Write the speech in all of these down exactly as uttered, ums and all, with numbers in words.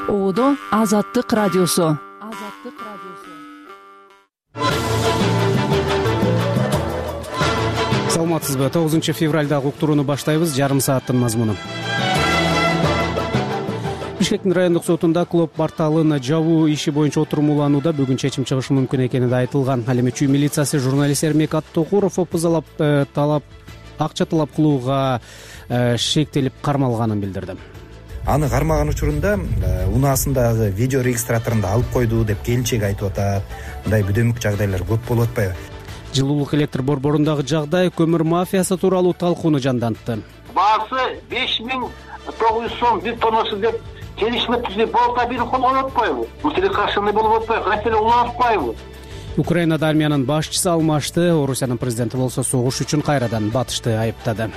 Оодо Азаттык радиосу. Азаттык радиосу. Саламатсызбы? тогузунчу февралдагы уктурууну баштайбыз. Жарым сааттын мазмуну. Бишкектин райондук сотунда клоп порталын жабуу иши боюнча отурумуланууда бүгүн чечим чыгышы мүмкүн экени да айтылган. Ал эми Чүй милициясы журналист Эрмек Аттокуров опузалап талап акча талап кылууга шектелип кармалганын билдирди. Аны кармаган учурунда унаасындагы видео регистраторунда алып койду деп келинчеги айтып атат. Мындай бүдөмүк жагдайлар көп болуп атпайбы? Жылуулук электр борборундагы жагдай көмүр мафиясы тууралуу талкууну жандантты. Баасы беш миң тогуз жүз сом бир тоннасы деп келишме түзүп болта бир кол болуп атпайбы? Бул телекашаны болуп атпайбы? Кантеле уланышпайбы? Украинада армиянын башчысы алмашты. Орусиянын президенти болсо согуш үчүн кайрадан батышты айыптады.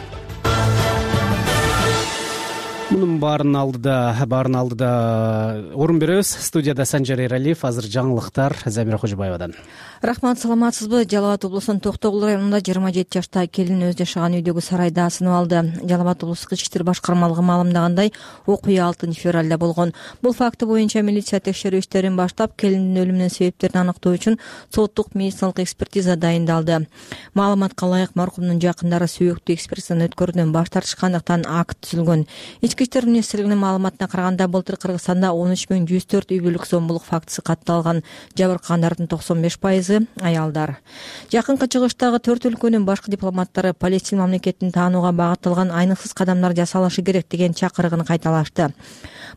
Мунун баарын алдыда баарын алдыда орун беребиз. Студияда Санжар Эралиев. Азыр жаңылыктар Замира Кожобаевадан. Рахмат, саламатсызбы? Жалал Абад облусунун Токтогул районунда жыйырма жети жаштагы келин өзү жашаган үйдөгү сарайда асынып алды. Жалал Абад облустук ички иштер башкармалыгы маалымдагандай, окуя алтынчы февралда болгон. Бул факты боюнча милиция текшерүү иштерин баштап, келиндин өлүмүнүн себептерин аныктоо үчүн соттук медициналык экспертиза дайындалды. Маалыматка ылайык, маркумдун жакындары сүйөктүү экспертизаны өткөрүүдөн баш тартышкандыктан акт түзүлгөн. Ички иштер министрлигинин маалыматына караганда, былтыр Кыргызстанда он үч миң жүз төрт үй бүлөлүк зомбулук фактысы катталган. Жабыркагандардын токсон беш пайызы аялдар. Жакынкы чыгыштагы төрт өлкөнүн башкы дипломаттары Палестин мамлекетин таанууга багытталган айныксыз кадамдар жасалышы керек деген чакырыгын кайталашты.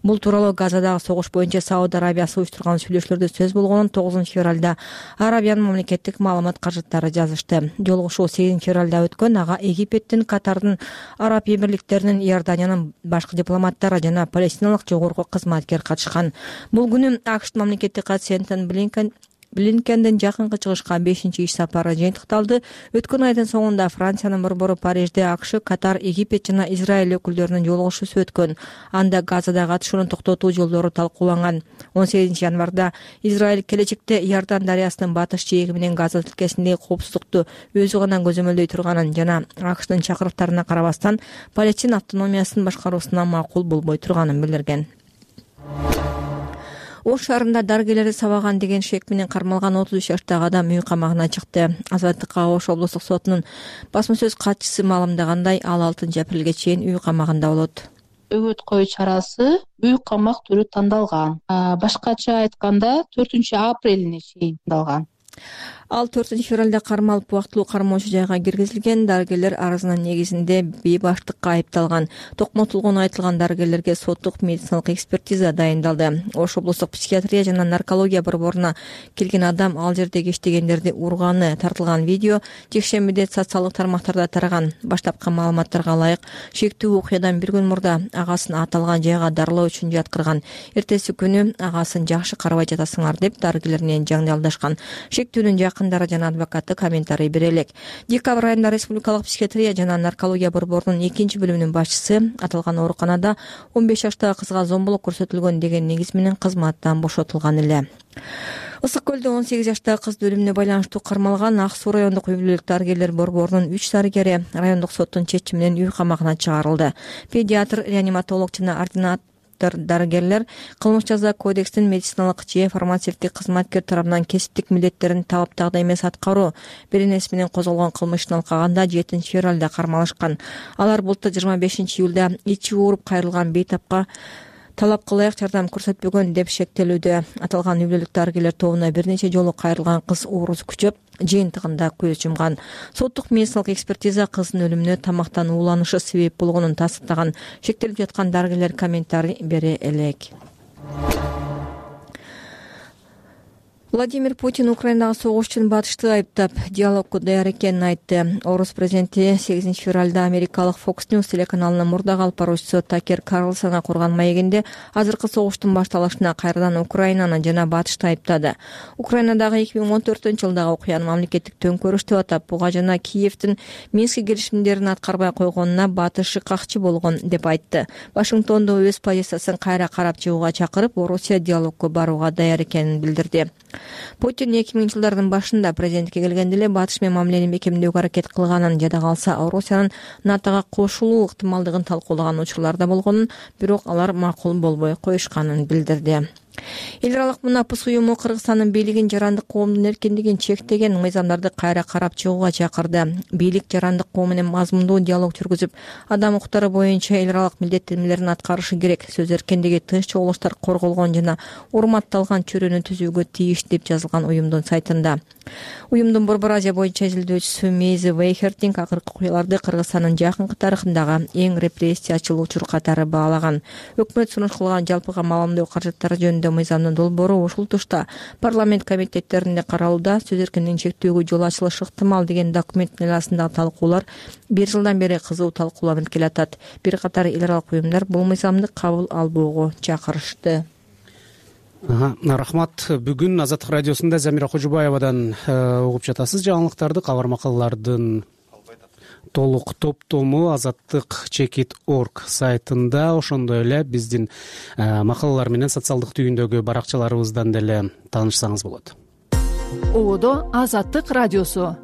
Бул тууралуу Газадагы согуш боюнча Сауд Арабиясы уюштурган сүйлөшүүлөрдө сөз болгонун тогузунчу февралда Арабиянын мамлекеттик маалымат каражаттары жазышты. Жолугушуу сегизинчи февралда өткөн. Ага Египеттин, Катардын, Араб Эмирликтеринин, Иорданиянын башкы дипломаттары жана палестиналык жогорку кызматкер катышкан. Бул күнү АКШ мамлекеттик катчысы Энтони Блинкен Блинкендин жакынкы чыгышка бешинчи иш сапары жыйынтыкталды. Өткөн айдын соңунда Франциянын борбору Парижде АКШ, Катар, Египет жана Израиль өкүлдөрүнүн жолугушуусу өткөн. Анда Газадагы атышууну токтотуу жолдору талкууланган. он сегизинчи январда Израиль келечекте Иордан дарыясынын батыш жээги менен Газа тилкесиндеги коопсуздукту өзү гана көзөмөлдөй турганын жана АКШтын чакырыктарына карабастан Палестин автономиясын башкаруусуна макул болбой турганын билдирген. Ош шаарында дарыгерлерди сабаган деген шек менен кармалган отуз үч жаштагы адам үй камагына чыкты. Азаттыкка Ош облустук сотунун басма сөз катчысы маалымдагандай, ал алтынчы апрелге чейин үй камагында болот. Өгөт коюу чарасы үй камак түрү тандалган. Башкача айтканда төртүнчү апрелине чейин тандалган. Ал төртүнчү февралда кармалып убактылуу кармоочу жайга киргизилген. Дарыгерлер арызынын негизинде бейбаштыкка айыпталган. Токмотулгон айтылган дарыгерлерге соттук медициналык экспертиза дайындалды. Ош облустук психиатрия жана наркология борборуна келген адам ал жердеги иштегендерди урганы тартылган видео жекшембиде социалдык тармактарда тараган. Баштапкы маалыматтарга ылайык, шектүү окуядан бир күн мурда агасын аталган жайга дарылоо үчүн жаткырган. Эртеси күнү агасын жакшы карабай жатасыңар деп дарыгерлер менен жаңдалдашкан. Шектүүнүн жакындары жана адвокаты комментарий бере элек. Декабрь айында Республикалык психиатрия жана наркология борборунун экинчи бөлүмүнүн башчысы аталган ооруканада он беш жаштагы кызга зомбулук көрсөтүлгөн деген негиз менен кызматтан бошотулган эле. Ысык көлдө он сегиз жаштагы кыз өлүмүнө байланыштуу кармалган. Ак суу райондук үй бүлөлүк дарыгерлер борборунун үч дарыгери райондук соттун чечими менен үй камагына чыгарылды. Педиатр, реаниматолог жана ординатор дарыгерлер кылмыш жаза кодекстин медициналык же фармацевтик кызматкер тарабынан кесиптик милдеттерин талаптагыдай эмес аткаруу беренеси менен козголгон кылмыш ишин алкаганда жетинчи февралда кармалышкан. Алар былтыр жыйырма бешинчи июлда ичи ооруп кайрылган бейтапка талапка ылайык жардам көрсөтпөгөн деп шектелүүдө. Аталган үй бүлөлүк дарыгерлер тобуна бир нече жолу кайрылган кыз оорусу күчөп, жыйынтыгында көз жумган. Соттук медициналык экспертиза кыздын өлүмүнө тамактан ууланышы себеп болгонун тастыктаган. Шектелип жаткан дарыгерлер комментарий бере элек. Владимир Путин Украинадагы согуш үчүн батышты айыптап, диалогко даяр экенин айтты. Орус президенти сегизинчи февралда америкалык Fox News телеканалынын мурдагы алып баруучусу Такер Карлсонго курган маегинде азыркы согуштун башталышына кайрадан Украинаны жана батышты айыптады. Украинадагы эки миң он төртүнчү жылдагы окуяны мамлекеттик төңкөрүш деп атап, буга жана Киевдин Минск келишимдерин аткарбай койгонуна батышы какчы болгон деп айтты. Вашингтондо өз позициясын кайра карап чыгууга чакырып, Орусия диалогко барууга даяр экенин билдирди. Путин эки миңинчи жылдардын башында президентке келгенде эле батыш менен мамилени бекемдөөгө аракет кылганын жада калса Орусиянын НАТОго кошулуу ыктымалдыгын талкуулаган учурлар да болгонун, бирок алар макул болбой коюшканын билдирди. Эл аралык мунапыс уюму Кыргызстандын бийлигин жарандык коомдун эркиндигин чектеген мыйзамдарды кайра карап чыгууга чакырды. Бийлик жарандык коом менен мазмундуу диалог жүргүзүп, адам укуктары боюнча эл аралык милдеттенмелерин аткарышы керек, сөз эркиндиги, тынч чогулуштар корголгон жана урматталган чөйрөнү түзүүгө тийиш деп жазылган уюмдун сайтында. Уюмдун Борбор Азия боюнча изилдөөчүсү Мейзи Вейхертинг акыркы окуяларды Кыргызстандын жакынкы тарыхындагы эң репрессиячыл учур катары баалаган. Өкмөт сунуш кылган жалпыга маалымдоо каражаттары жөнүндө мыйзамдын долбоору ушул тушта парламент комитеттеринде каралууда, сөз эркиндигин чектөөгө жол ачылышы ыктымал деген документтин айласындагы талкуулар бир жылдан бери кызуу талкууланып келатат. Бир катар эл аралык уюмдар бул мыйзамды кабыл албоого чакырышты. Рахмат. Бүгүн Азаттык радиосунда Замира Кожубаевадан угуп жатасыз жаңылыктарды. Кабар макалалардын толук топтому азаттык чекит точка орг сайтында, ошондой эле биздин макалалар менен социалдык түйүндөгү баракчаларыбыздан деле таанышсаңыз болот. Ободо Азаттык радиосу.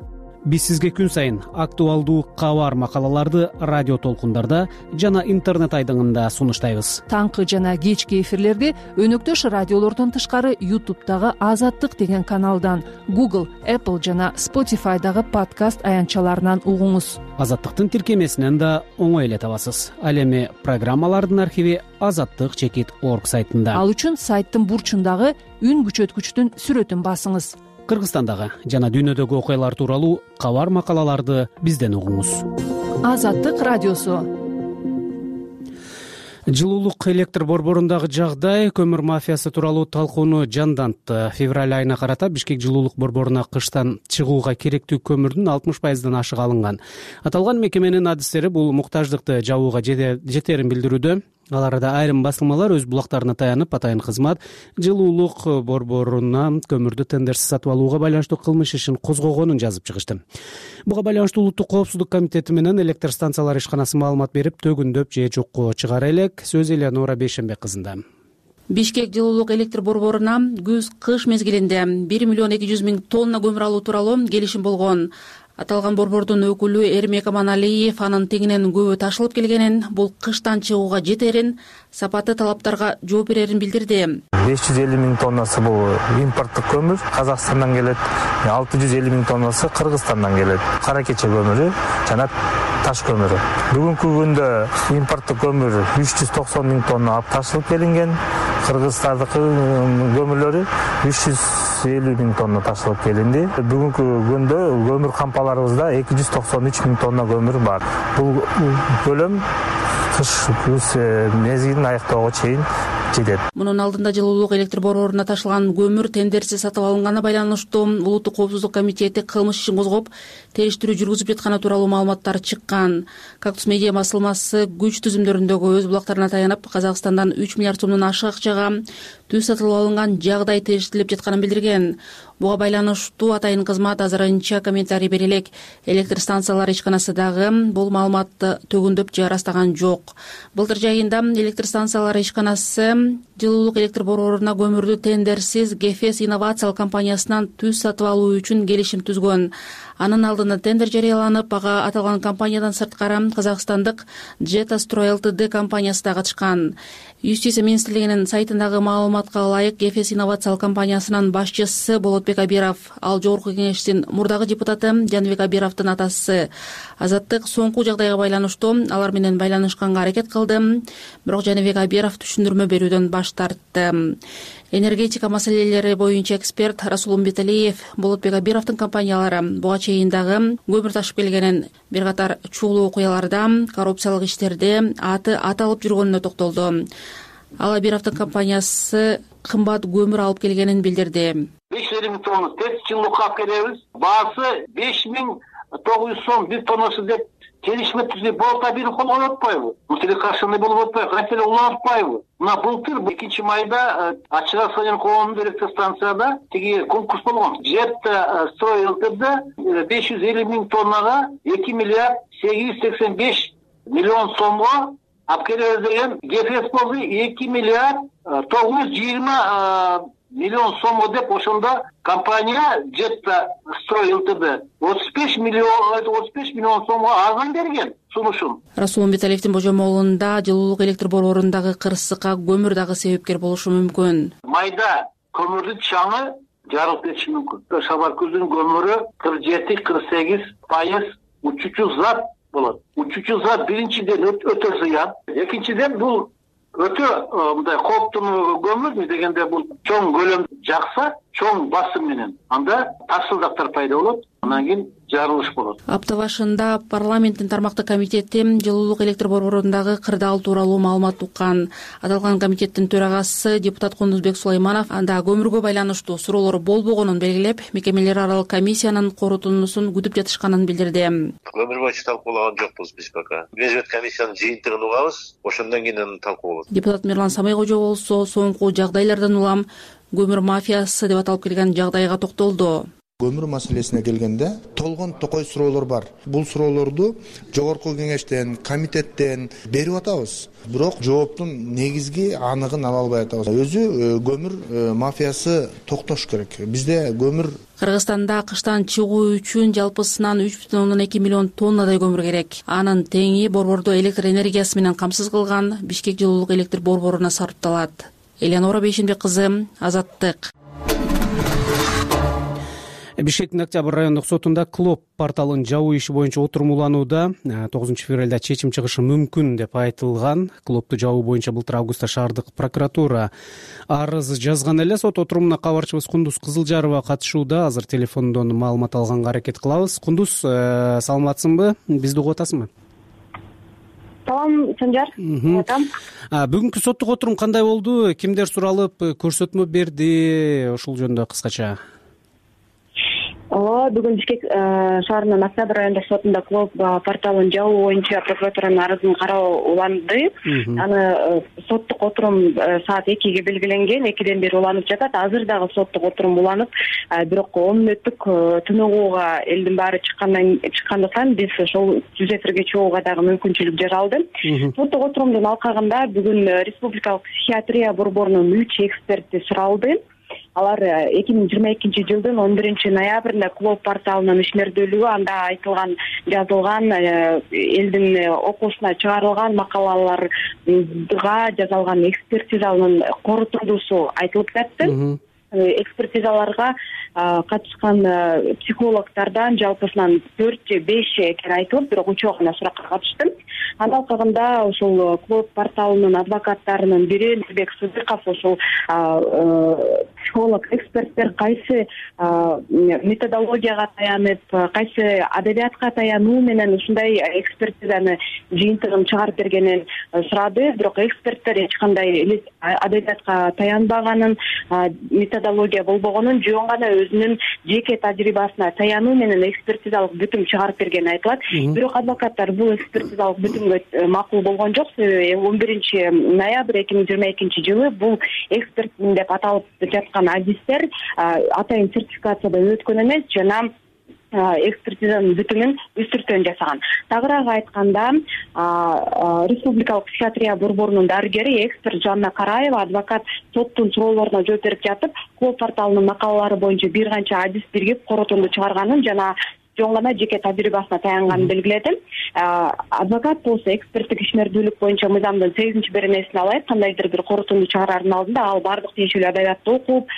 Биз сизге күн сайын актуалдуу кабар макалаларды радио толкундарда жана интернет айдыңында сунуштайбыз. Таңкы жана кечки эфирлерди өнөктөш радиолордон тышкары ютубтагы Азаттык деген каналдан, Google, Apple жана Spotify'дагы подкаст аянтчаларынан угуңуз. Азаттыктын тиркемесинен да оңой эле табасыз. Ал эми программалардын архиви азаттык чекит точка орг сайтында. Ал үчүн сайттын бурчундагы үн күчөткүчтүн сүрөтүн басыңыз. Кыргызстандагы жана дүйнөдөгү окуялар тууралуу кабар макалаларды бизден угуңуз. Азаттык радиосу. Жылуулук электр борборундагы жагдай көмүр мафиясы тууралуу талкууну жандантты. Февраль айына карата Бишкек жылуулук борборуна кыштан чыгууга керектүү көмүрдүн алтымыш пайыздан ашыгы алынган. Аталган мекеменин адистери бул муктаждыкты жабууга жетерин билдирүүдө. Аларда айрым басылмалар өз булактарына таянып, атайын кызмат жылуулук борборуна көмүрдү тендерсиз сатып алууга байланыштуу кылмыш ишин козгогонун жазып чыгышты. Буга байланыштуу Улуттук коопсуздук комитети менен электр станциялары ишканасы маалымат берип, төгүндөп же жокко чыгара элек. Сөз Элеонора Бейшембек кызында. Бишкек жылуулук электр борборуна күз-кыш мезгилинде бир миллион эки жүз миң тонна көмүр алуу тууралуу келишим болгон. Аталган борбордун өкүлү Эрмек Аманалиев анын тегинен көбү ташылып келгенин, бул кыштан чыгууга жетерин, сапаты талаптарга жооп берерин билдирди. беш жүз элүү миң тоннасы бул импорттук көмүр Казакстандан келет, алты жүз элүү миң тоннасы Кыргызстандан келет. Кара кече көмүрү жана таш көмүрү. Бүгүнкү күндө импорттук көмүр үч жүз токсон миң тонна алып ташылып келинген. Кыргызстандыкы көмүрлөрү үч жүз элүү миң тонна ташылып келинди. Бүгүнкү күндө көмүр кампаларыбызда эки жүз токсон үч миң тонна көмүр бар. Бул көлөм кыш күз мезгилин аяктоого чейин жетет. Мунун алдында жылуулук электр борборуна ташылган көмүр тендерсиз сатып алынганы байланыштуу Улуттук коопсуздук комитети кылмыш ишин козгоп, териштирүү жүргүзүп жатканы тууралуу маалыматтар чыккан. Кактус медиа басылмасы күч түзүмдөрүндөгү өз булактарына таянып, Казакстандан үч миллиард сомдон ашык акчага түз сатылып алынган жагдай териштирилип жатканын билдирген. Буга байланыштуу атайын кызмат азырынча комментарий бере элек. Электр станциялары ишканасы дагы бул маалыматты төгүндөп же ырастаган жок. Былтыр жайында электр станциялары ишканасы жылуулук электр борборуна көмүрдү тендерсиз Гефес инновациялык компаниясынан түз сатып алуу үчүн келишим түзгөн. Анын алдында тендер жарыяланып, ага аталган компаниядан сырткары казакстандык Жетастрой Лтд компаниясы да катышкан. Юстиция министрлигинин сайтындагы маалыматка ылайык, Гефес инновациялык компаниясынын башчысы Болотбек Абиров, ал жогорку кеңештин мурдагы депутаты Жаныбек Абировдун атасы. Азаттык соңку жагдайга байланыштуу алар менен байланышканга аракет кылды, бирок Жаныбек Абиров түшүндүрмө берүүдөн баш тартты. Энергетика маселелери боюнча эксперт Расул Умбеталиев Болотбек Абировдун компаниялары буга чейин дагы көмүр ташып келгенин, бир катар чуулуу окуяларда, коррупциялык иштерде аты аталып жүргөнүнө токтолду. Ал Абировдун компаниясы кымбат көмүр алып келгенин билдирди. беш жүз элүү миң тонна тез жылуулукка алып келебиз. Баасы беш миң тогуз жүз сом бир тоннасы деп келишме түзүп болта бир кол коюп атпайбы? Мусиле каршылыгы болуп атпайбы? Кантеле улантпайбы? Мына былтыр экинчи майда Ачык Асыян коомдун электр станцияда тиги конкурс болгон. Жетастрой Лтд беш жүз элүү миң тоннага эки миллиард сегиз жүз сексен беш миллион сомго алып келебиз деген. Гефес болду эки миллиард тогуз жүз жыйырма миллион сомго деп ошондо компания жетта строй ЛТД отуз беш миллион отуз беш миллион сомго арзан берген сунушун. Расул Умбеталиевдин божомолунда жылуулук электр борборундагы кырсыкка көмүр дагы себепкер болушу мүмкүн. Майда көмүрдүн чаңы жарылып кетиши мүмкүн. Шабаркөздүн көмүрү кырк жети кырк сегиз пайыз учуучу зат болот. Учуучу зат биринчиден өтө зыян, экинчиден бул өтө мындай кооптуу көмүр дегенде бул чоң көлөм жакса, чоң басым менен анда тарсылдактар пайда болот, андан кийин жарылыш болот. Апта башында парламенттин тармактык комитети жылуулук электр борборундагы кырдаал тууралуу маалымат уккан. Аталган комитеттин төрагасы депутат Кундузбек Сулайманов анда көмүргө байланыштуу суроолор болбогонун белгилеп, мекемелер аралык комиссиянын корутундусун күтүп жатышканын билдирди. Көмүр боюнча талкуулаган жокпуз биз пока. Мезгет комиссиянын жыйынтыгын угабыз, ошондон кийин талкуу болот. Депутат Мирлан Самайкожо болсо соңку жагдайлардан улам көмүр мафиясы деп аталып келген жагдайга токтолду. Көмүр маселесине келгенде толгон токой суроолор бар. Бул суроолорду жогорку кеңештен, комитеттен берип атабыз. Бирок жооптун негизги аныгын ала албай атабыз. Өзү көмүр мафиясы токтош керек. Бизде көмүр Кыргызстанда кыштан чыгуу үчүн жалпысынан үч бүтүн ондон эки миллион тоннадай көмүр керек. Анын теңи борбордо электр энергиясы менен камсыз кылган Бишкек жылуулук электр борборуна сарпталат. Элеонора Бейшенбек кызы, Азаттык. Бишкектин Октябрь райондук сотунда Клоп порталынын жабуу иши боюнча отурумуланууда тогузунчу февралда чечим чыгышы мүмкүн деп айтылган. Клопту жабуу боюнча былтыр августта шаардык прокуратура арыз жазган эле. Сот отурумуна кабарчыбыз Кундуз Кызылжарова катышууда. Азыр телефондон маалымат алганга аракет кылабыз. Кундуз, саламатсыңбы? Бизди угуп атасыңбы? Салам, Санжар. Бүгүнкү соттук отурум кандай болду? Кимдер суралып, көрсөтмө берди? Ушул жөнүндө кыскача. Ооба, бүгүн Бишкек шаарынын Октябрь райондук сотунда Клоп порталынын жабуу боюнча прокуратуранын арызын кароо уланды. Аны соттук отурум саат экиге белгиленген, экиден бери уланып жатат. Азыр дагы соттук отурум уланып, бирок он мүнөттүк түнөгүүгө элдин баары чыккандан чыккандыктан биз ошол жүз эфирге чыгууга дагы мүмкүнчүлүк жаралды. Соттук отурумдун алкагында бүгүн Республикалык психиатрия борборунун үч эксперти суралды. Алар эки миң жыйырма экинчи жылдын он биринчи ноябрында Клоп порталынын ишмердүүлүгү, анда айтылган, жазылган, элдин окуусуна чыгарылган макалаларга жасалган экспертизанын корутундусу айтылып жатты. Экспертизаларга катышкан психологтордон жалпысынан төрт же беш экен айтылып, бирок үчөө гана суракка катышты. Анын алкагында ушул Клоп порталынын адвокаттарынын бири Нурбек Сыдыков ушул психолог эксперттер кайсы методологияга таянып, кайсы адабиятка таянуу менен ушундай экспертизаны жыйынтыгын чыгарып бергенин сурады. Бирок эксперттер эч кандай адабиятка таянбаганын, методология болбогонун, жөн гана өзүнүн жеке тажрыйбасына таянуу менен экспертизалык бүтүм чыгарып бергени айтылат. Бирок адвокаттар бул экспертизалык бүтүмгө макул болгон жок. он биринчи ноябрь эки миң жыйырма экинчи жылы бул эксперт деп аталып жаткан адистер атайын сертификациядан өткөн эмес жана экспертизанын бүтүмүн үстүртөн жасаган. Тагыраак айтканда, Республикалык психиатрия борборунун дарыгери эксперт Жанна Караева адвокат соттун суроолоруна жооп берип жатып, Клоп порталынын макалалары боюнча бир канча адис биргип корутунду чыгарганын жана жөн гана жеке тажрыйбасына таянганын белгиледи. Адвокат болсо эксперттик ишмердүүлүк боюнча мыйзамдын сегизинчи беренесин алайык, кандайдыр бир корутунду чыгараардын алдында ал бардык тиешелүү адабиятты окуп,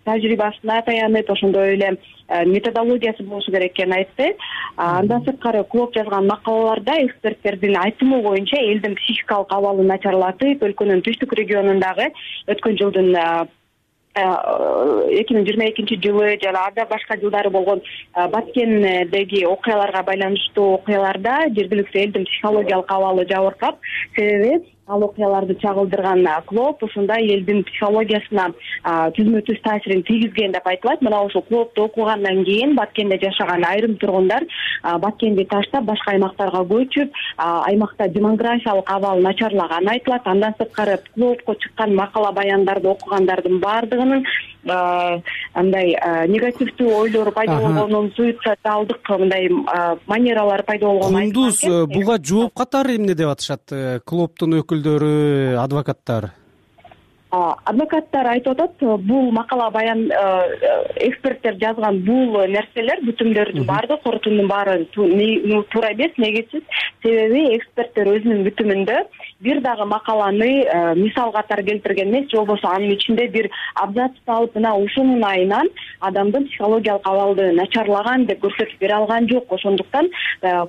тажрыйбасына таянып, ошондой эле методологиясы болушу керек экенин айтты. Андан сырткары Клоп жазган макалаларда эксперттердин айтымы боюнча элдин психикалык абалы начарлатып, өлкөнүн түштүк регионундагы өткөн жылдын эки миң жыйырма экинчи жылы жана анда башка жылдары болгон Баткендеги окуяларга байланыштуу окуяларда жергиликтүү элдин психологиялык абалы жабыркап, себеби ал окуяларды чагылдырган Клоп ушундай элдин психологиясына түзмө-түз таасирин тийгизген деп айтылат. Мына ошол Клопту окугандан кийин Баткенде жашаган айрым тургундар Баткенди таштап башка аймактарга көчүп, аймакта демографиялык абал начарлаганы айтылат. Андан сырткары Клопко чыккан макала баяндарды окугандардын баардыгынын андай негативдүү ойлор пайда болгонун, суицидалдык мындай манералар пайда болгонун айтылат. Кундуз, буга жооп катары эмне деп атышат Клоптун өкүлдөрү, адвокаттар? Адвокаттар айтып атат, бул макала баян эксперттер жазган бул нерселер, бүтүмдөрдүн баардыгы, корутундун баары туура эмес, негизсиз. Себеби эксперттер өзүнүн бүтүмүндө бир дагы макаланы мисал катары келтирген эмес, же болбосо анын ичинде бир абзацты алып, мына ушунун айынан адамдын психологиялык абалды начарлаган деп көрсөтүп бере алган жок. Ошондуктан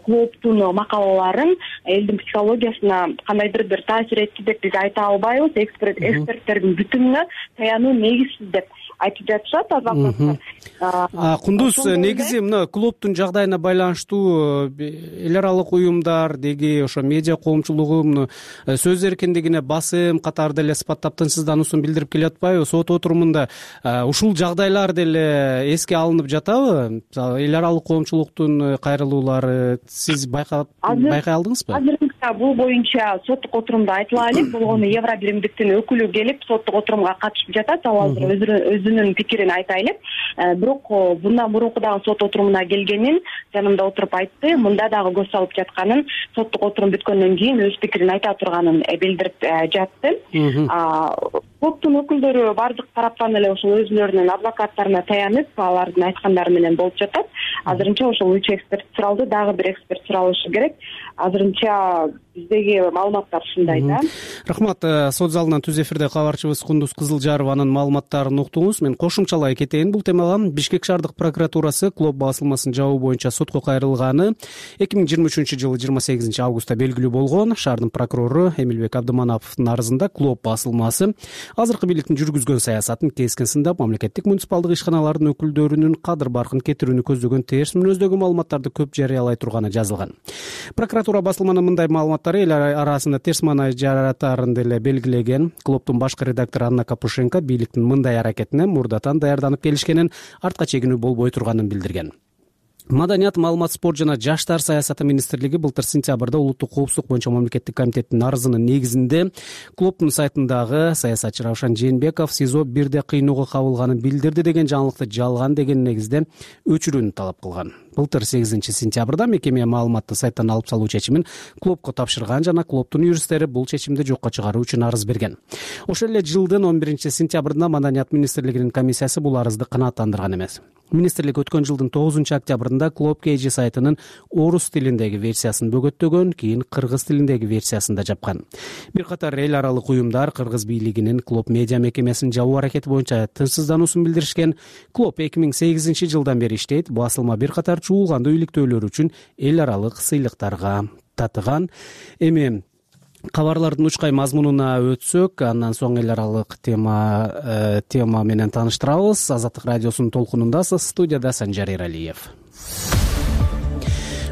клубтун макалаларын элдин психологиясына кандайдыр бир таасир этти деп биз айта албайбыз. Эксперттердин бүтүмүнө таянуу негизсиз деп айтып жатышат адвокаттар. Кундуз, негизи мына клубтун жагдайына байланыштуу эл аралык уюмдар деги ошо медиа коомчулугу сөз эркиндигине басым катары деле сыпаттап тынчсыздануусун билдирип келатпайбы? Сот отурумунда ушул жагдайлар деле эске алынып жатабы? Эл аралык коомчулуктун кайрылуулары сиз байкап байкай алдыңызбы? Азырынча бул боюнча соттук отурумда айтыла элек, болгону Евро биримдиктин өкүлү келип соттук отурумга катышып жатат. Ал азыр өзүнүн пикирин айта элек. Бирок bundan мурунку дагы сот отурумуна келгенин жанымда отуруп айтты. Мында дагы көз салып жатканын, соттук отурум бүткөндөн кийин өз пикирин айта турганын билдирип жатты. Клубтун өкүлдөрү бардык тараптан эле ошол өзүлөрүнүн адвокаттарына таянып, алардын айткандары менен болуп жатат. Азырынча ошол үч эксперт суралды, дагы бир эксперт суралышы керек. Азырынча биздеги маалыматтар ушундай да. Рахмат. Сот залынан түз эфирде кабарчыбыз Кундуз Кызылжарованын маалыматтарын уктуңуз. Мен кошумчалай кетейин бул темага. Бишкек шаардык прокуратурасы клуб басылмасын жабуу боюнча сотко кайрылганы эки миң жыйырма үчүнчү жылы жыйырма сегизинчи августта белгилүү болгон. Шаардын прокурору Эмилбек Абдымановдун арызында клуб басылмасы азыркы бийликтин жүргүзгөн саясатын кескин сындап, мамлекеттик муниципалдык ишканалардын өкүлдөрүнүн кадыр баркын кетирүүнү көздөгөн терс мүнөздөгү маалыматтарды көп жарыялай турганы жазылган. Прокуратура басылманын мындай маалыматтары эл арасында терс маанай жаратарын деле белгилеген. Клубтун башкы редактору Анна Капушенко бийликтин мындай аракетине мурдатан даярданып келишкенин, артка чегинүү болбой турганын билдирген. Маданият, маалымат, спорт жана жаштар саясаты министрлиги былтыр сентябрда улуттук коопсуздук боюнча мамлекеттик комитеттин арызынын негизинде клубтун сайтындагы саясатчы Равшан Жээнбеков СИЗО бирде кыйноого кабылганын билдирди деген жаңылыкты жалган деген негизде өчүрүүнү талап кылган. Былтыр сегизинчи сентябрда мекеме маалыматты сайттан алып салуу чечимин клубко тапшырган жана клубтун юристтери бул чечимди жокко чыгаруу үчүн арыз берген. Ошол эле жылдын он биринчи сентябрында Маданият министрлигинин комиссиясы бул арызды канааттандырган эмес. Министрлик өткөн жылдын тогузунчу октябрында клуб Кей Жи сайтынын орус тилиндеги версиясын бөгөттөгөн, кийин кыргыз тилиндеги версиясын да жапкан. Бир катар эл аралык уюмдар кыргыз бийлигинин клуб медиа мекемесин жабуу аракети боюнча тынчсыздануусун билдиришкен. Клуб эки миң сегизинчи жылдан бери иштейт. Басылма бир катар чуулгандуу иликтөөлөр үчүн эл аралык сыйлыктарга татыган. Эми кабарлардын учкай мазмунуна өтсөк, андан соң эл аралык тема тема менен тааныштырабыз. Азаттык радиосунун толкунундасыз. Студияда Санжар Эралиев.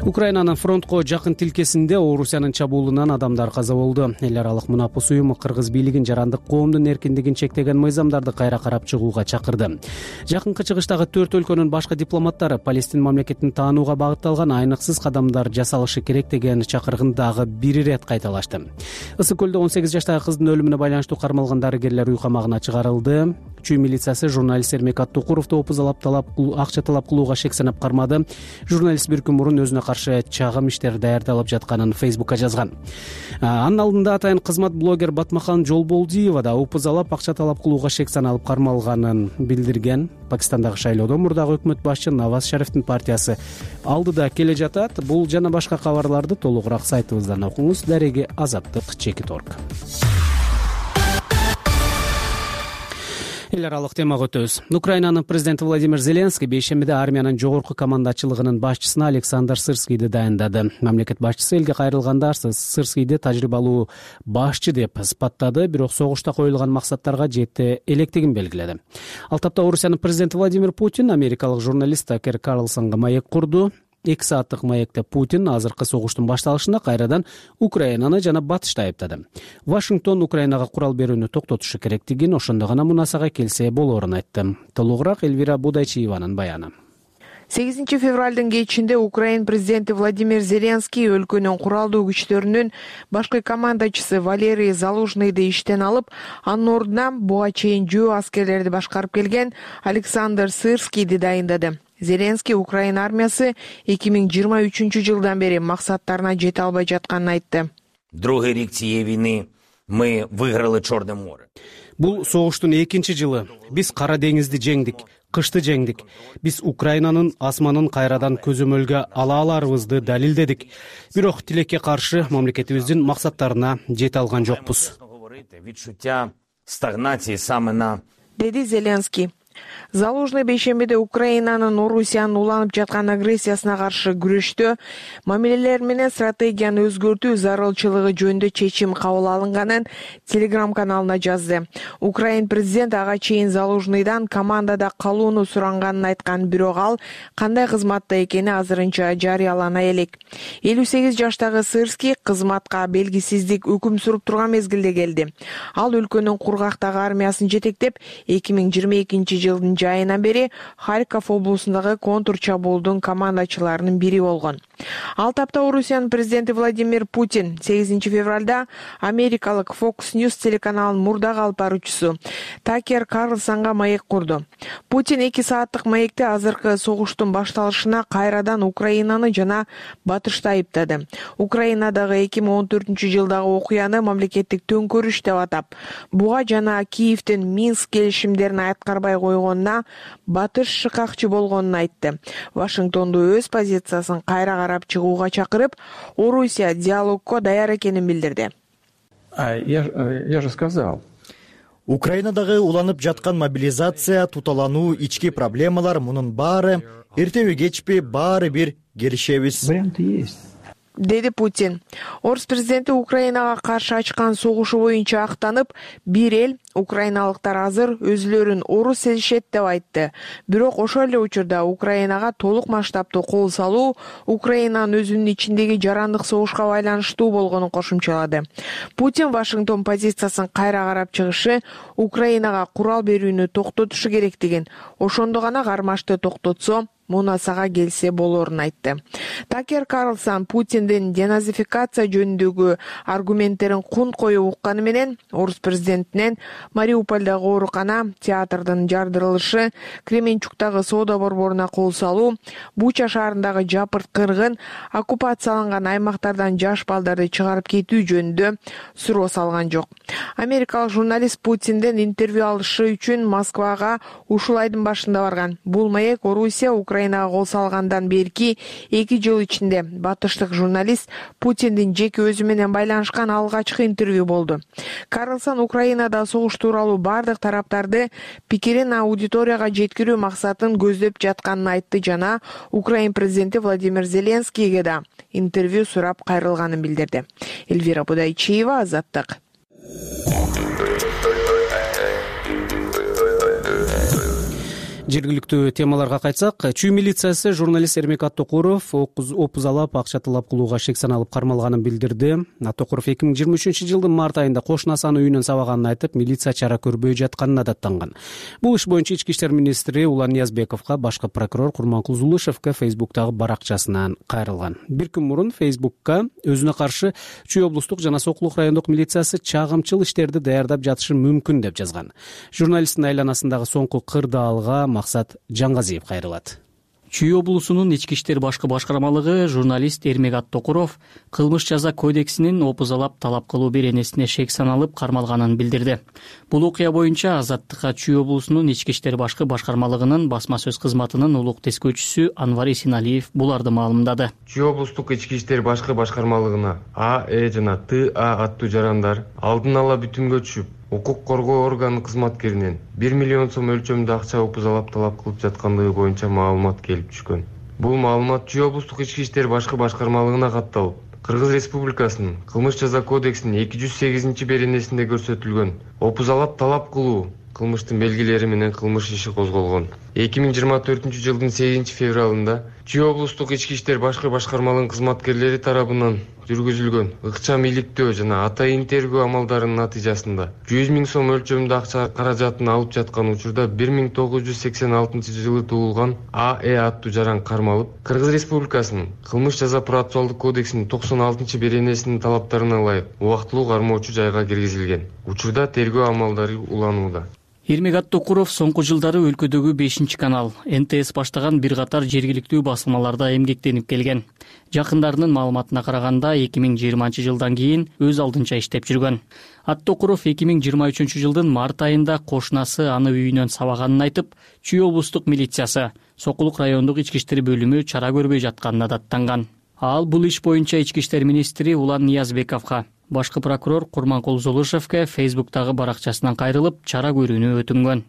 Украинанын фронтко жакын тилкесинде Орусиянын чабуулунан адамдар каза болду. Эл аралык мунапыс уюму кыргыз бийлигин жарандык коомдун эркиндигин чектеген мыйзамдарды кайра карап чыгууга чакырды. Жакынкы чыгыштагы төрт өлкөнүн башкы дипломаттары Палестин мамлекетин таанууга багытталган айныксыз кадамдар жасалышы керек деген чакыргын дагы бир ирет кайталашты. Ысык көлдө он сегиз жаштагы кыздын өлүмүнө байланыштуу кармалган дарыгерлер үй камагына чыгарылды. Чүй милициясы журналист Эрмек Аттукуровду опузалап талап акча талап кылууга шек санап кармады. Журналист бир күн мурун өзүнө каршы чагым иштер даярдалып жатканын Фейсбукка жазган. Анын алдында атайын кызмат блогер Батмахан Жолболдиева да опузалап акча талап кылууга шек саналып кармалганын билдирген. Пакистандагы шайлоодо мурдагы өкмөт башчы Наваз Шарифтин партиясы алдыда келе жатат. Бул жана башка кабарларды толугураак сайтыбыздан окуңуз. Дареги Азаттык чекит орг. Эл аралык темага өтөбүз. Украинанын президенти Владимир Зеленский бейшембиде армиянын жогорку командачылыгынын башчысына Александр Сырскийди дайындады. Мамлекет башчысы элге кайрылганда Сырскийди тажрыйбалуу башчы деп сыпаттады, бирок согушта коюлган максаттарга жете электигин белгиледи. Ал тапта Орусиянын президенти Владимир Путин америкалык журналист Такер Карлсонго маек курду. эки сааттык маекте Путин азыркы согуштун башталышында кайрадан Украинаны жана Батышты айыптады. Вашингтон Украинага курал берүүнү токтотушу керектигин, ошондо гана мунасага келсе болоорун айтты. Толугураак Эльвира Будайчиеванын баяны. сегизинчи февралдын кечинде Украин президенти Владимир Зеленский өлкөнүн куралдуу күчтөрүнүн башкы командачысы Валерий Залужныйды иштен алып, анын ордуна буга чейин жөө аскерлерди башкарып келген Александр Сырскийди дайындады. Зеленский Украина армиясы эки миң жыйырма үчүнчү жылдан бери максаттарына жете албай жатканын айтты. Другий рік цієї війни Мы выиграли Черное море. Бул согуштун экинчи жылы. Биз Кара деңизди жеңдик, кышты жеңдик. Биз Украинанын асманын кайрадан көзөмөлгө ала аларыбызды далилдедик. Бирок тилекке каршы мамлекетибиздин максаттарына жете алган жокпуз. Відчуття стагнації саме на деди Зеленский. Залужный бейшембиде Украинанын Орусиянын уланып жаткан агрессиясына каршы күрөштө мамилелер менен стратегияны өзгөртүү зарылчылыгы жөнүндө чечим кабыл алынганын Telegram каналына жазды. Украин президент ага чейин Залужныйдан командада калууну суранганын айткан, бирок ал кандай кызматта экени азырынча жарыялана элек. элүү сегиз жаштагы Сырский кызматка белгисиздик өкүм сүрүп турган мезгилде келди. Ал өлкөнүн кургактагы армиясын жетектеп, эки миң жыйырма экинчи жылдын жайынан бери Харьков облусундагы контур чабуулдун командачыларынын бири болгон. Ал тапта Орусиянын президенти Владимир Путин сегизинчи февралда америкалык Fox News телеканалынын мурдагы алып баруучусу Такер Карлсонго маек курду. Путин эки сааттык маекте азыркы согуштун башталышына кайрадан Украинаны жана Батышты айыптады. Украинадагы эки миң он төртүнчү жылдагы окуяны мамлекеттик төңкөрүш деп атап, буга жана Киевдин Минск келишимдерин аткарбай койгонуна Батыш шыкакчы болгонун айтты. Вашингтонду өз позициясын кайра карап чыгууга чакырып, Орусия диалогко даяр экенин билдирди. Я же сказал. Украинадагы уланып жаткан мобилизация, туталануу, ички проблемалар, мунун баары эртеби кечпи баары бир келишебиз. Варианты есть. Деди Путин. Орус президенти Украинага каршы ачкан согушу боюнча актанып, бир эл украиналыктар азыр өзүлөрүн орус сезишет деп айтты. Бирок ошол эле учурда Украинага толук масштабтуу кол салуу Украинанын өзүнүн ичиндеги жарандык согушка байланыштуу болгонун кошумчалады. Путин Вашингтон позициясын кайра карап чыгышы Украинага курал берүүнү токтотушу керектигин, ошондо гана кармашты токтотсо мунасага келсе болорун айтты. Такер Карлсон Путиндин деназификация жөнүндөгү аргументтерин кун коюп укканы менен орус президентинен Мариупольдагы оорукана, театрдын жардырылышы, Кременчуктагы соода борборуна кол салуу, Буча шаарындагы жапырт кыргын, оккупацияланган аймактардан жаш балдарды чыгарып кетүү жөнүндө суроо салган жок. Америкалык журналист Путинден интервью алышы үчүн Москвага ушул айдын башында барган. Бул маек Орусия Украинага кол салгандан берки эки жыл ичинде батыштык журналист Путиндин жеке өзү менен байланышкан алгачкы интервью болду. Карлсон Украинада согуш тууралуу бардык тараптарды пикирин аудиторияга жеткирүү максатын көздөп жатканын айтты жана Украин президенти Владимир Зеленскийге да интервью сурап кайрылганын билдирди. Эльвира Будайчиева, Азаттык. Жергиликтүү темаларга кайтсак, Чүй милициясы журналист Эрмек Аттокуров опузалап, акча талап кылууга шек саналып кармалганын билдирди. Аттокуров эки миң жыйырма үчүнчү жылдын март айында кошунасынын үйүнөн сабаганын айтып, милиция чара көрбөй жатканына даттанган. Бул иш боюнча ички иштер министри Улан Ниязбековго башкы прокурор Курманкул Зулышевке Фейсбуктагы баракчасынан кайрылган. Бир күн мурун Фейсбукка өзүнө каршы Чүй облустук жана Сокулук райондук милициясы чагымчыл иштерди даярдап жатышы мүмкүн деп жазган. Журналисттин айланасындагы соңку кырдаалга Максат Жаңгазиев кайрылат. Чүй облусунун ички иштер башкы башкармалыгы журналист Эрмек Аттокуров кылмыш жаза кодексинин опузалап талап кылуу беренесине шек саналып кармалганын билдирди. Бул окуя боюнча Азаттыкка Чүй облусунун ички иштер башкы башкармалыгынын басма сөз кызматынын улук тескөөчүсү Анвар Исеналиев буларды маалымдады. Чүй облустук ички иштер башкы башкармалыгына А, Э жана Т А аттуу жарандар алдын ала бүтүнгө түшүп, укук коргоо органы кызматкеринен бир миллион сом өлчөмдө акча опузалап талап кылып жаткандыгы боюнча маалымат келип түшкөн. Бул маалымат Чүй облустук ички иштер башкы башкармалыгына катталып, Кыргыз Республикасынын кылмыш жаза кодексинин эки жүз сегизинчи беренесинде көрсөтүлгөн опузалап талап кылуу кылмыштын белгилери менен кылмыш иши козголгон. эки миң жыйырма төртүнчү жылдын сегизинчи февралында Чүй облустук ички иштер башкы башкармалыгынын кызматкерлери тарабынан жүргүзүлгөн ыкчам иликтөө жана атайын тергөө амалдарынын натыйжасында жүз миң сом өлчөмүндө акча каражатын алып жаткан учурда бир миң тогуз жүз сексен алтынчы жылы туулган А Э аттуу жаран кармалып, Кыргыз Республикасынын кылмыш жаза процессуалдык кодексинин токсон алтынчы беренесинин талаптарына ылайык убактылуу кармоочу жайга киргизилген. Учурда тергөө амалдары уланууда. Эрмек Аттокуров соңку жылдары өлкөдөгү бешинчи канал эн тэ эс баштаган бир катар жергиликтүү басылмаларда эмгектенип келген. Жакындарынын маалыматына караганда эки миң жыйырманчы жылдан кийин өз алдынча иштеп жүргөн. Аттокуров эки миң жыйырма үчүнчү жылдын март айында кошунасы аны үйүнөн сабаганын айтып, Чүй облустук милициясы Сокулук райондук ички иштер бөлүмү чара көрбөй жатканына даттанган. Ал бул иш боюнча ички иштер министри Улан Ниязбековго, башкы прокурор Курманкул Золушевке Фейсбуктагы баракчасынан кайрылып чара көрүүнү өтүнгөн.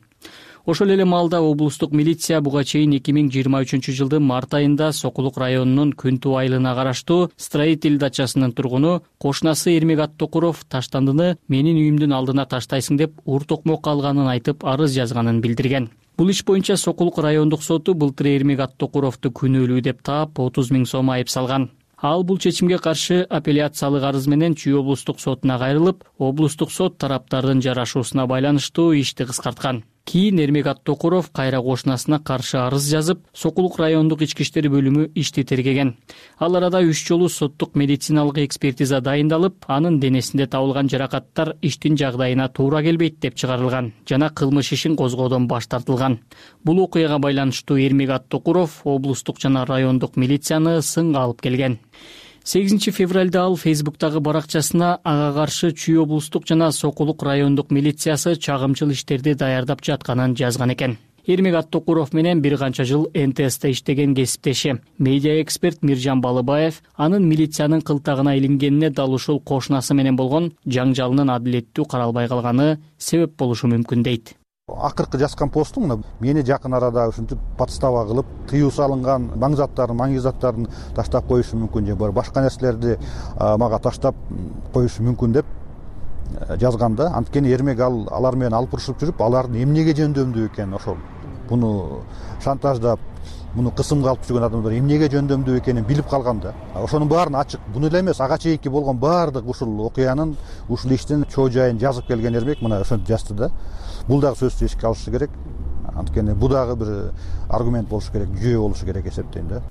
Ошол эле маалда облустук милиция буга чейин эки миң жыйырма үчүнчү жылдын март айында Сокулук районунун Күнтүү айылына караштуу Строитель дачасынын тургуну кошунасы Эрмек Аттокуров таштандыны менин үйүмдүн алдына таштайсың деп ур токмок алганын айтып арыз жазганын билдирген. Бул иш боюнча Сокулук райондук соту былтыр Эрмек Аттокуровду күнөөлүү деп таап отуз миң сом айып салган. Ал бул чечимге каршы апелляциялык арыз менен Чүй облустук сотуна кайрылып, облустук сот тараптардын жарашуусуна байланыштуу ишти кыскарткан. Кийин Эрмек Аттокуров кайра кошунасына каршы арыз жазып, Сокулук райондук ички иштер бөлүмү ишти тергеген. Ал арада үч жолу соттук медициналык экспертиза дайындалып, анын денесинде табылган жаракаттар иштин жагдайына туура келбейт деп чыгарылган жана кылмыш ишин козгоодон баш тартылган. Бул окуяга байланыштуу Эрмек Аттокуров облустук жана райондук милицияны сынга алып келген. сегизинчи февралда ал Фейсбуктагы баракчасына ага каршы Чүй облустук жана Сокулук райондук милициясы чагымчыл иштерди даярдап жатканын жазган экен. Эрмек Аттокуров менен бир канча жыл эн тэ эсте иштеген кесиптеши, медиа эксперт Миржан Балыбаев анын милициянын кылтагына илингенине дал ушул кошунасы менен болгон жаңжалынын адилеттүү каралбай калганы себеп болушу мүмкүн дейт. Акыркы жазган постум мына мени жакын арада ушинтип подстава кылып, тыюу салынган маң заттарын, маң заттарын таштап коюшу мүмкүн же башка нерселерди мага таштап коюшу мүмкүн деп жазганда, анткени Эрмек ал алар менен алып урушуп жүрүп, алардын эмнеге жөндөмдүү экенин, ошол буну шантаждап, муну кысымга алып жүргөн адамдар эмнеге жөндөмдүү экенин билип калган да. Ошонун баарын ачык, буну эле эмес, ага чейинки болгон баардык ушул окуянын, ушул иштин чоо жайын жазып келген Эрмек мына ошентип жазды да. Бул дагы сөзсүз эске алышы керек. Анткени бул дагы бир аргумент болушу керек, жүйө болушу керек эсептейм да.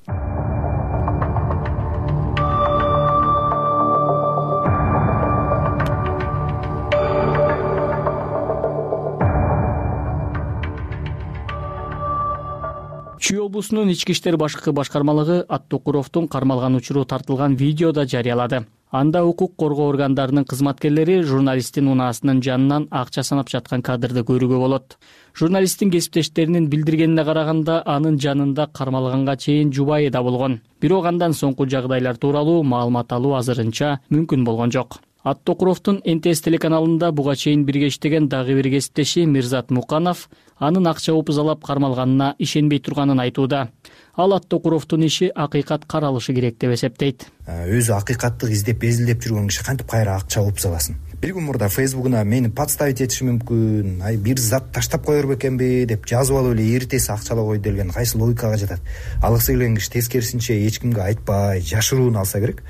Чүй облусунун ички иштер башкы башкармалыгы Аттокуровдун кармалган учуру тартылган видеода жарыялады. Анда укук коргоо органдарынын кызматкерлери журналисттин унаасынын жанынан акча санап жаткан кадрды көрүүгө болот. Журналисттин кесиптештеринин билдиргенине караганда, анын жанында кармалганга чейин жубайы да болгон. Бирок андан соңку жагдайлар тууралуу маалымат алуу азырынча мүмкүн болгон жок. Аттокуровдун эн тэ эс телеканалында буга чейин бирге иштеген дагы бир кесиптеши Мирзат Муканов анын акча опузалап кармалганына ишенбей турганын айтууда. Ал Аттокуровдун иши акыйкат каралышы керек деп эсептейт. Өзү акыйкатты издеп, эзилдеп жүргөн киши кантип кайра акча опузаласын? Бир күн мурда Фейсбугуна мени подставить этиши мүмкүн, ай бир зат таштап коер бекенби деп жазып алып эле эртеси акчалап койду делген кайсы логикага жатат? Алгысы келген киши тескерисинче эч кимге айтпай, жашырууну алса керек.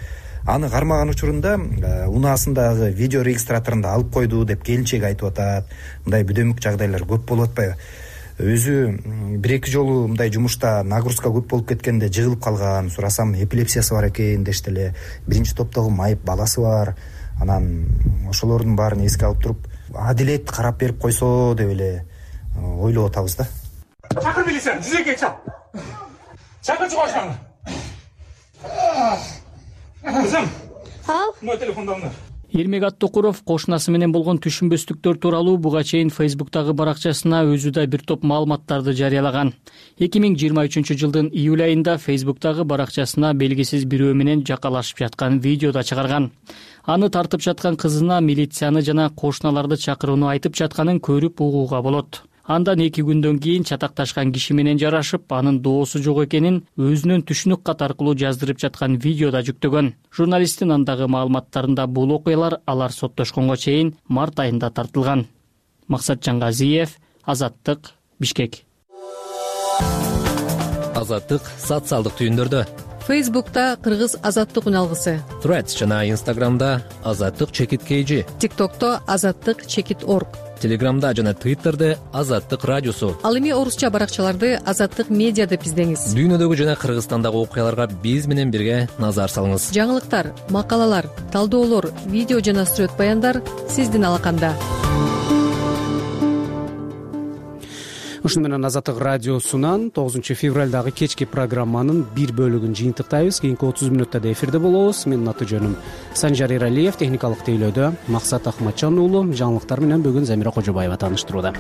Аны кармаган учурунда унаасындагы видео регистраторунда алып койду деп келинчеги айтып атат. Мындай бүдөмүк жагдайлар көп болуп атпайбы? Өзү бир эки жолу мындай жумушта нагрузка көп болуп кеткенде жыгылып калган. Сурасам эпилепсиясы бар экен дешти эле. Биринчи топтогу майып баласы бар. Анан ошолордун баарын эске алып туруп, адилет карап берип койсо деп эле ойлоп атабыз да. Чакыр милицияны, жүзөккө чал. Чакырчы кошуңду. Кызым. Ал. Мой телефонду алыңдар. Эрмек Аттокуров кошунасы менен болгон түшүнбөстүктөр тууралуу буга чейин Фейсбуктагы баракчасына өзү да бир топ маалыматтарды жарыялаган. эки миң жыйырма үчүнчү жылдын июль айында Фейсбуктагы баракчасына белгисиз бирөө менен жакалашып жаткан видео да чыгарган. Аны тартып жаткан кызына милицияны жана кошуналарды чакырууну айтып жатканын көрүп угууга болот. Андан эки күндөн кийин чатакташкан киши менен жарашып, анын доосу жок экенин өзүнүн түшүнүк кат аркылуу жаздырып жаткан видеода жүктөгөн. Журналисттин андагы маалыматтарында бул окуялар алар соттошконго чейин март айында тартылган. Максатжан Газиев, Азаттык, Бишкек. Азаттык социалдык түйүндөрдө. Фейсбукта Кыргыз Азаттык үналгысы. Threads жана Инстаграмда Азаттык чекит kg. ТикТокто Азаттык чекит орг. Телеграмда жана Твиттерде Азаттык радиосу. Ал эми орусча баракчаларды Азаттык медиа деп издеңиз. Дүйнөдөгү жана Кыргызстандагы окуяларга биз менен бирге назар салыңыз. Жаңылыктар, макалалар, талдоолор, видео жана сүрөт баяндар сиздин алаканда. ушуну менен Азаттык радиосунан тогузунчу февралдагы кечки программанын бир бөлүгүн жыйынтыктайбыз. Кийинки отуз мүнөттө да эфирде болобуз. Менин аты жөнүм Санжар Эралиев, техникалык тейлөөдө Максат Акматжан уулу, жаңылыктар менен бүгүн Замира Кожобаева тааныштырууда.